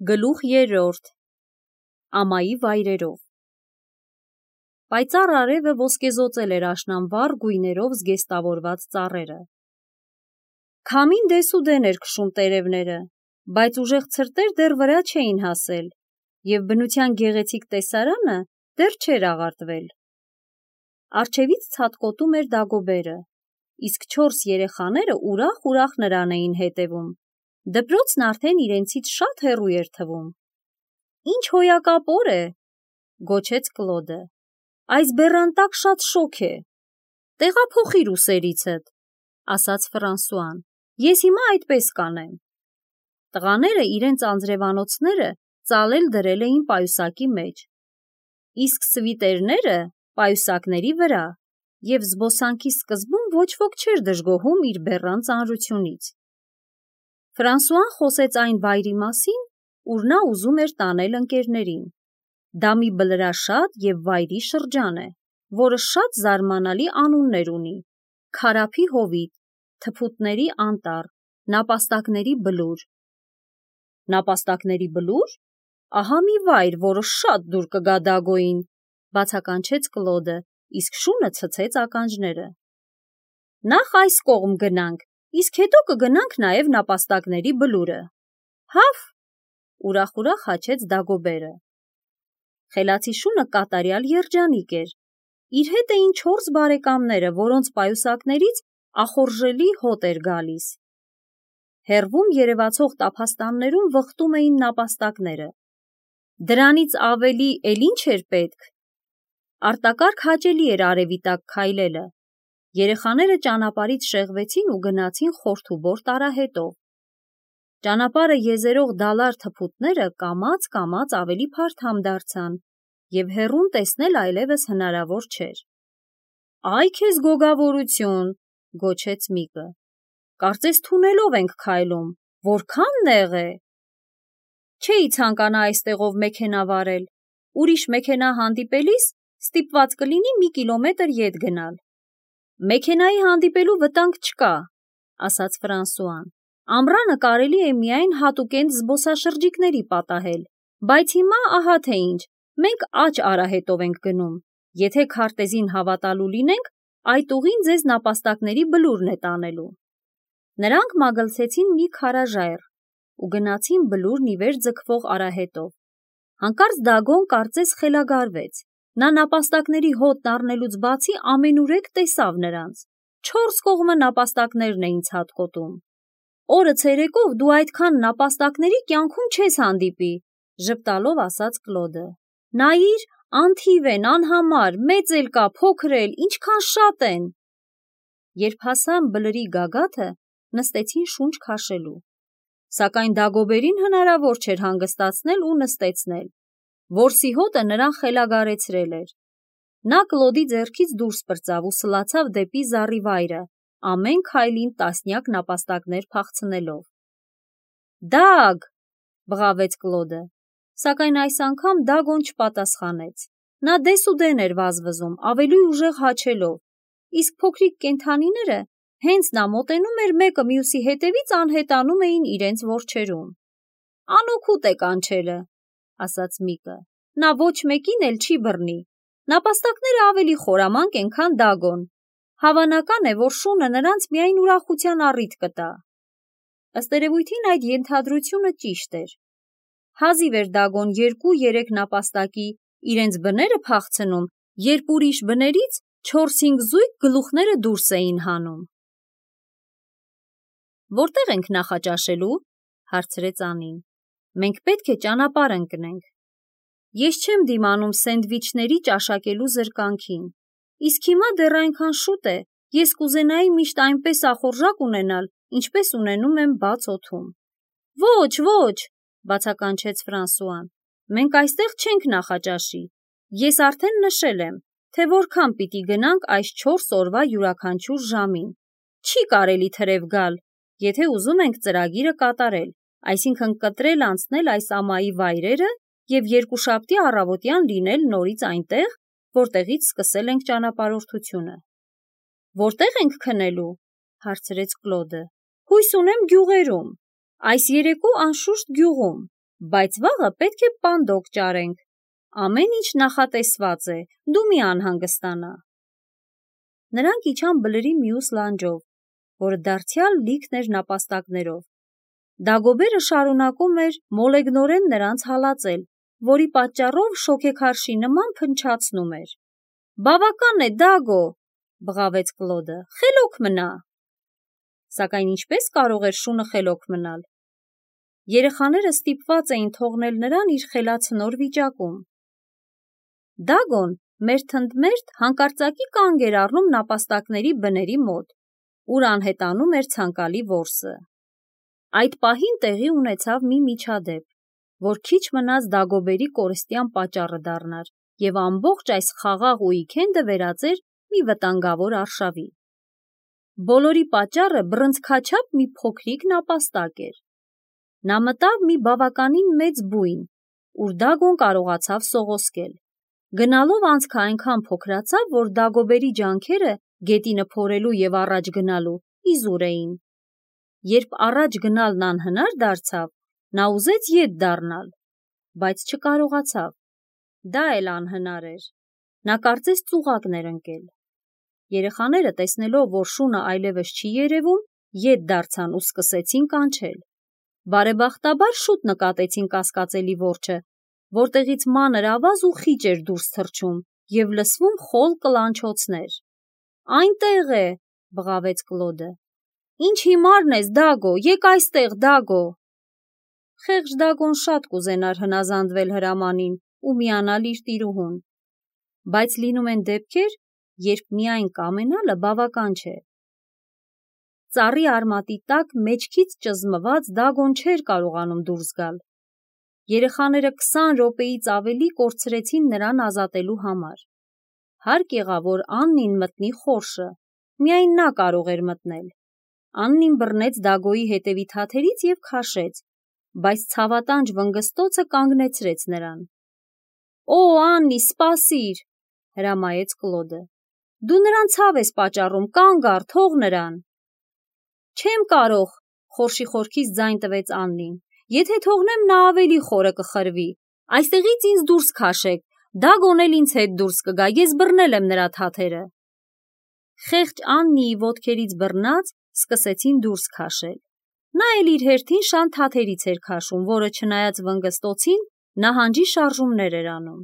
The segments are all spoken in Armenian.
Գլուխ 3. Ամայի վայրերով։ Պայծառ արևը ոսկեզօծել էր աշնանվառ գույներով զգեստավորված ծառերը։ Քամին դեսուդեն էր քշում տերևները, բայց ուժեղ ցրտեր դեռ վրա չէին հասել, և բնության գեղեցիկ տեսարանը դեռ չէր աղարտվել։ Առջևից ցատկոտում էր Դագոբերը, իսկ 4 երեխաները ուրախ նրան էին հետևում։ Դպրոցն արդեն իրենցից շատ հեռու էր թվում։ «Ինչ հոյակապ օր է», գոչեց Կլոդը։ «Այս բեռան տակ շատ շոգ է»։ «Տեղափոխիր ուսերիցդ», ասաց Ֆրանսուան։ «Ես հիմա այդպես կանեմ»։ Տղաները իրենց անձրևանոցները ծալել դրել էին պայուսակի մեջ, իսկ սվիտերները պայուսակների վրա, և զբոսանքի սկզբում ոչ ոք չէր դժգոհում իր բեռան ծանրությունից։ Ֆրանսուան խոսեց այն վայրի մասին, ուր նա ուզում էր տանել ընկերներին։ Դա մի բլրաշատ և վայրի շրջան է, որը շատ զարմանալի անուններ ունի՝ Քարափի հովիտ, Թփուտների անտառ, Նապաստակների բլուր։ «Նապաստակների բլո՞ւր։ Ահա մի վայր, որը շատ դուր կգա Դագոյին», բացականչեց Կլոդը, իսկ շունը ցցեց ականջները։ «Նախ այս կողմ գնանք, իսկ հետո կգնանք նաև նապաստակների բլուրը»։ «Հավ», ուրախ հաչեց Դագոբերը։ Խելացի շունը կատարյալ երջանիկ էր։ Իր հետ էին 4 բարեկամները, որոնց պայուսակներից ախորժելի հոտ էր գալիս։ Հեռվում երևացող տափաստաններում վխտում էին նապաստակները։ Դրանից ավելի էլ ինչ էր պետք։ Արտակարգ հաճելի էր արևի տակ քայլելը։ Երեխաները ճանապարհից շեղվեցին ու գնացին խորթուբոր տարահետով։ Ճանապարհը եզերող դալար թփուտները կամաց ավելի փարթամ դարձան, և հեռուն տեսնել այլևս հնարավոր չէր։ «Այ քեզ գոգավորություն», գոչեց մեկը։ «Կարծես թունելով ենք քայլում, որքան նեղ է»։ «Չէի ցանկանա այստեղով մեքենա վարել, ուրիշ մեքենա հանդիպելիս ստիպված կլինի մի կիլոմետր ետ գնալ»։ «Մեքենայի հանդիպելու վտանգ չկա», ասաց Ֆրանսուան։ «Ամռանը կարելի է միայն հատուկենտ զբոսաշրջիկների պատահել, բայց հիմա ահա թե ինչ, մենք աջ արահետով ենք գնում։ Եթե քարտեզին հավատալու լինենք, այդ ուղին ձեզ նապաստակների բլուրն է տանելու»։ Նրանք մագլցեցին մի քարաժայռ ու գնացին բլուրն ի վեր ձգվող արահետով։ Հանկարծ Դագոն կարծես խելագարվեց։ Նա նապաստակների հոտն առնելուց բացի ամենուրեք տեսավ նրանց։ 4 կողմը նապաստակներն էին ցատկոտում։ «Օրը ցերեկով դու այդքան նապաստակների կյանքում չես հանդիպի», ժպտալով ասաց Կլոդը։ «Նայիր, անթիվ են, անհամար, մեծ էլ կա, փոքր էլ, ինչքան շատ են»։ Երբ հասան բլրի գագաթը, նստեցին շունչ քաշելու։ Սակայն Դագոբերին հնարավոր չէր հանգստացնել ու նստեցնել։ Որսի հոտը նրան խելագարեցրել էր։ Նա Կլոդի ձեռքից դուրս պրծավ ու սլացավ դեպի զառիվայրը, ամեն քայլին տասնյակ նապաստակներ փախցնելով։ «Դագ», բղավեց Կլոդը, սակայն այս անգամ Դագոն չպատասխանեց։ Նա դեսուդեն էր վազվզում, ավելի ուժեղ հաչելով, իսկ փոքրիկ կենդանիները, հենց նա մոտենում էր մեկը մյուսի հետևից անհետանում էին իրենց որջերում։ «Անօգուտ է կանչելը», ասաց մեկը։ «Նա ոչ մեկին էլ չի բռնի։ Նապաստակները ավելի խորամանկ են, քան Դագոն։ Հավանական է, որ շունը նրանց միայն ուրախության առիթ կտա»։ Ըստ երևույթին այդ ենթադրությունը ճիշտ էր։ Հազիվ էր Դագոն 2-3 նապաստակի իրենց բները փախցնում, երբ ուրիշ բներից 4-5 զույգ գլուխները դուրս էին հանում։ «Որտե՞ղ ենք նախաճաշելու», հարցրեց Անին։ «Մենք պետք է ճանապարհ ընկնենք»։ «Ես չեմ դիմանում սենդվիչների ճաշակելու զրկանքին, իսկ հիմա դեռ այնքան շուտ է, ես կուզենայի միշտ այնպես ախորժակ ունենալ, ինչպես ունենում եմ բաց օդում»։ «Ոչ», բացականչեց Ֆրանսուան, «մենք այստեղ չենք նախաճաշի։ Ես արդեն նշել եմ, թե որքան պիտի գնանք այս 4 օրվա յուրաքանչյուր ժամին։ Չի կարելի թրև գալ, եթե ուզում ենք ծրագիրը կատարել, այսինքն կտրել անցնել այս ամայի վայրերը և երկուշաբթի առավոտյան լինել նորից այնտեղ, որտեղից սկսել ենք ճանապարհորդությունը»։ «Որտե՞ղ ենք քնելու», հարցրեց Կլոդը։ «Հույս ունեմ գյուղերում։ Այս երեկո անշուշտ գյուղում։ Բայց վաղը պետք է պանդոկ ճարենք, ամեն ինչ նախատեսված է, դու մի անհանգստանա։ Նրանք իջան բլրի մյուս լանջով, որը դարձյալ լիքն էր նապաստակներով։ Դագոբերը շարունակում էր մոլեգնորեն նրանց հալածել, որի պատճառով շոգեքարշի նման փնչացնում էր։ Բավական է, Դագո, բղավեց Կլոդը, խելոք մնա։ Սակայն ինչպես կարող էր շունը խելոք մնալ։ Երեխաները ստիպված էին թողնել նրան իր խելացնոր վիճակում։ Դագոն մերթընդմերթ հանկարծակի կանգ էր առնում նապաստակների բների մոտ, ուր անհետանում էր ցանկալի որսը։ Այդ պահին տեղի ունեցավ մի միջադեպ, որ քիչ մնաց Դագոբերի կորստյան պատճառը դառնար և ամբողջ այս խաղաղ ուիկենդը վերածեր մի վտանգավոր արշավի։ Բոլորի պատճառը բռնցքաչափ մի փոքրիկ նապաստակ էր։ Նա մտավ մի բավականին մեծ բույն, ուր Դագոն կարողացավ սողոսկել։ Գնալով անցքը այնքան փոքրացավ, որ Դագոբերի ջանքերը գետինը փորելու և առաջ գնալու իզուր էին։ Երբ առաջ գնալն անհնար դարձավ, նա ուզեց ետ դառնալ, բայց չկարողացավ։ Դա էլ անհնար էր։ Նա կարծես ծուղակն էր ընկել։ Երեխաները, տեսնելով, որ շունը այլևս չի երևում, ետ դարձան ու սկսեցին կանչել։ Բարեբախտաբար շուտ նկատեցին կասկածելի որջը, որտեղից մանր ավազ ու խիճ էր դուրս թռչում և լսվում խոլ կլանչոցներ։ Այնտեղ է, բղավեց Կլոդը։ Ինչ հիմարն ես, Դագո, եկ այստեղ, Դագո։ Խեղճ Դագոն շատ կուզենար հնազանդվել հրամանին ու միանալ իր տիրուհուն, բայց լինում են դեպքեր, երբ միայն կամենալը բավական չէ։ Ծառի արմատի տակ մեջքից ճզմված Դագոն չէր կարողանում դուրս գալ։ Երեխաները 20 րոպեից ավելի կորցրեցին նրան ազատելու համար։ Հարկ եղավ, որ Աննին մտնի խորշը, միայն նա կարող էր մտնել։ Աննին բռնեց Դագոյի հետևի թաթերից և քաշեց, բայց ցավատանջ վնգստոցը կանգնեցրեց նրան։ Օ, Աննի, սպասիր, հրամայեց Կլոդը։ Դու նրան ցավ ես պատճառում, կանգ առ, թող նրան։ Չեմ կարող, խորշի խորքից ձայն տվեց Աննին։ Եթե թողնեմ, նա ավելի խորը կխրվի։ Այստեղից ինձ դուրս քաշեք, Դագոն էլ ինձ հետ դուրս կգա, ես բռնել եմ նրա թաթերը։ Խեղճ Աննիի ոտքերից բռնած սկսեցին դուրս քաշել։ Նա էլ իր հերթին շան թաթերից էր քաշում, որը չնայած վնգստոցին, նահանջի շարժումներ էր անում։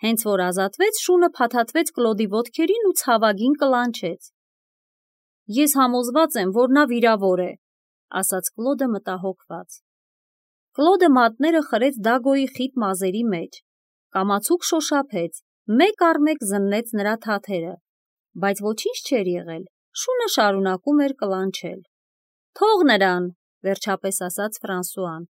Հենց որ ազատվեց, շունը փաթաթվեց Կլոդի ոտքերին ու ցավագին կլանչեց։ Ես համոզված եմ, որ նա վիրավոր է, ասաց Կլոդը մտահոգված։ Կլոդը մատները խրեց Դագոյի խիտ մազերի մեջ, կամացուկ շոշափեց, մեկ առ մեկ զննեց նրա թաթերը, բայց ոչինչ չէր եղել, շունը շարունակում էր կլանչել։ Թող նրան, վերջապես ասաց Ֆրանսուան,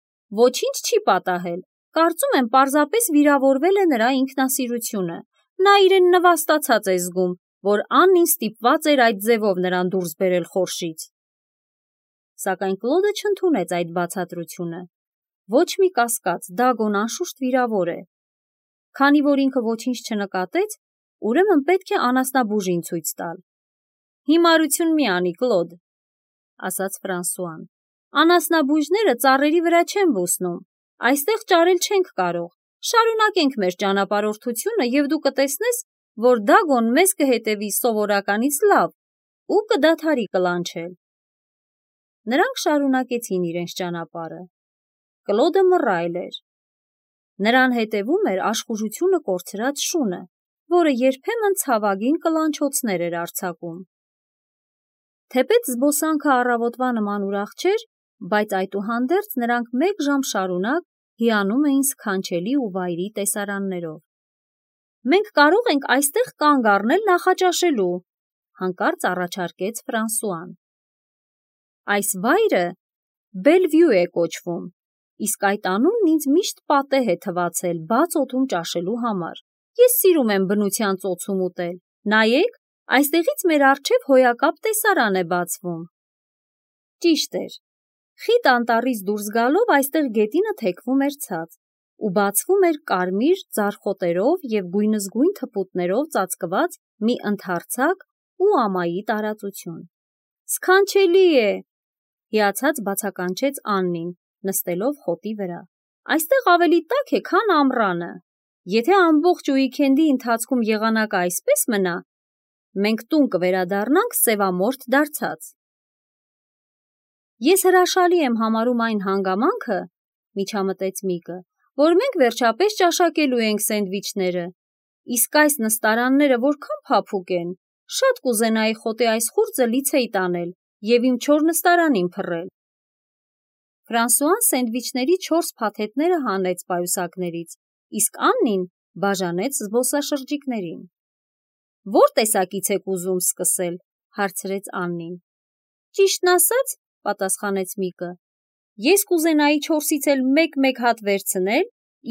ոչինչ չի պատահել, կարծում եմ պարզապես վիրավորվել է նրա ինքնասիրությունը, նա իրեն նվաստացած է զգում, որ Աննին ստիպված էր այդ ձևով նրան դուրս բերել խորշից։ Սակայն Կլոդը չընդունեց այդ բացատրությունը։ Ոչ մի կասկած, Դագոն անշուշտ վիրավոր է։ Քանի որ ինքը ոչինչ չնկատեց, ուրեմն պետք է անասնաբուժին ցույց տալ։ Հիմարություն մի անի, Կլոդ, ասաց Ֆրանսուան։ Անասնաբույժները ծառերի վրա չեն բուսնում, այստեղ ճարել չենք կարող։ Շարունակենք մեր ճանապարհորդությունը և դու կտեսնես, որ Դագոն մեզ կհետևի սովորականից լավ ու կդադարի կլանչել։ Նրանք շարունակեցին իրենց ճանապարհը։ Կլոդը մռայլ էր։ Նրան հետևում էր աշխուժությունը կորցրած շունը, որը երբեմն ցավագին կլանչոցներ էր արձակում։ Թեպետ զբոսանքը առավոտվա նման ուրախ չէր, բայց այդուհանդերձ նրանք մեկ ժամ շարունակ հիանում էին սքանչելի ու վայրի տեսարաններով։ Մենք կարող ենք այստեղ կանգ առնել նախաճաշելու, հանկարծ առաջարկեց Ֆրանսուան։ Այս վայրը Բելվյու է կոչվում, իսկ այդ անունն ինձ միշտ պատեհ է թվացել բաց օդում ճաշելու համար։ Ես սիրում եմ բնության ծոցում ուտել։ Նայեք, այստեղից մեր առջև հոյակապ տեսարան է բացվում։ Ճիշտ էր։ Խիտ անտառից դուրս գալով այստեղ գետինը թեքվում էր ցած ու բացվում էր կարմիր ձարխոտերով և գույնզգույն թփուտներով ծածկված մի ընդարձակ ու ամայի տարածություն։ Սքանչելի է, հիացած բացականչեց Աննին, նստելով խոտի վրա։ Այստեղ ավելի տաք է, քան ամռանը։ Եթե ամբողջ ուիկենդի ընթացքում եղանակը այսպես մնա, մենք տուն կվերադառնանք սևամորթ դարձած։ Ես հրաշալի եմ համարում այն հանգամանքը, միջամտեց Միկը, որ մենք վերջապես ճաշակելու ենք սենդվիչները, իսկ այս նստարանները որքան փափուկ են, շատ կուզենայի խոտի այս խուրձը լիցեի տանել և իմ չոր նստարանին փռել։ Ֆրանսուան սենդվիչների 4 փաթեթները հանեց պայուսակներից, իսկ Աննին բաժանեց զբոսաշրջիկներին։ Որ տեսակից եք ուզում սկսել, հարցրեց Աննին։ Ճիշտն ասած, պատասխանեց Միկը, ես կուզենայի 4-ից էլ մեկ հատ վերցնել,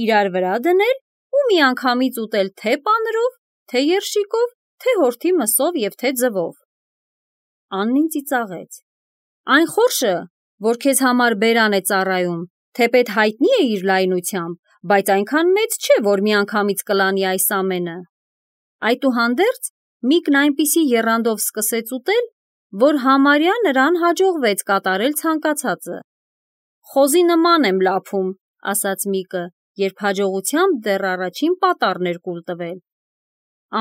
իրար վրա դնել ու միանգամից ուտել թե պանրով, թե երշիկով, թե հորթի մսով և թե ձվով։ Աննին ծիծաղեց։ Այն խորշը, որ քեզ համար բերան է ծառայում, թեպետ հայտնի է իր լայնությամբ, բայց այնքան մեծ չէ, որ միանգամից կլանի այս ամենը։ Այդուհանդերձ Միկն այնպիսի եռանդով սկսեց ուտել, որ համարյա նրան հաջողվեց կատարել ցանկացածը։ Խոզի նման եմ լափում, ասաց Միկը, երբ հաջողությամբ դեռ առաջին պատառն էր կուլ տվել։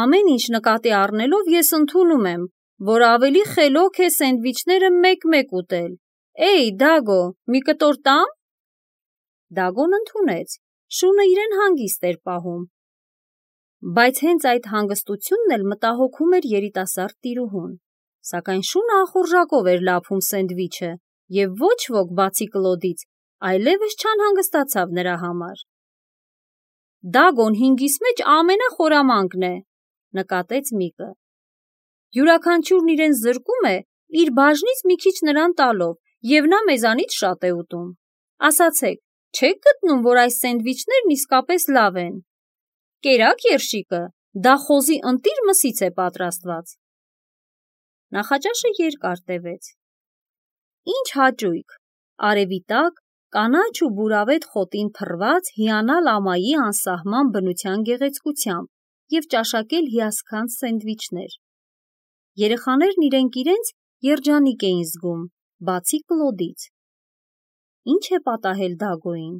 Ամեն ինչ նկատի առնելով ես ընդունում եմ, որ ավելի խելոք է սենդվիչները մեկ ուտել։ Էй, Դագո, մի կտոր տամ։ Դագոն ընդունեց, շունը իրեն հանգիստ էր պահում։ Բայց հենց այդ հանգստությունն էլ մտահոգում էր երիտասարդ տիրուհուն, սակայն շունը ախորժակով էր լափում սենդվիչը, և ոչ ոք բացի Կլոդից այլևս չանհանգստացավ նրա համար։ Դագոն 5-ից մեջ ամենախորամանկն է, նկատեց Միկը։ Յուրաքանչյուրն իրեն զրկում է իր բաժնից մի քիչ նրան տալով, և նա մեզանից շատ է ուտում։ Ասացեք, չեք գտնում, որ այս սենդվիչներն իսկապես լավ են։ Կերակ երշիկը, դա խոզի ընտիր մսից է պատրաստված։ Նախաճաշը երկար տևեց։ Ինչ հաճույք, արևի տակ, կանաչ ու բուրավետ խոտին փռված հիանալ ամայի անսահման բնության գեղեցկությամբ և ճաշակել հիասքանչ սենդվիչներ։ Երեխաներն իրենք իրենց երջանիկ էին զգում, բացի Կլոդից։ Ինչ է պատահել Դագոյին,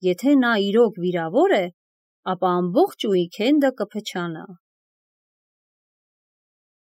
եթե նա իրոք վիրավոր է, ապա ամբողջ ուիկենդը կփչանա։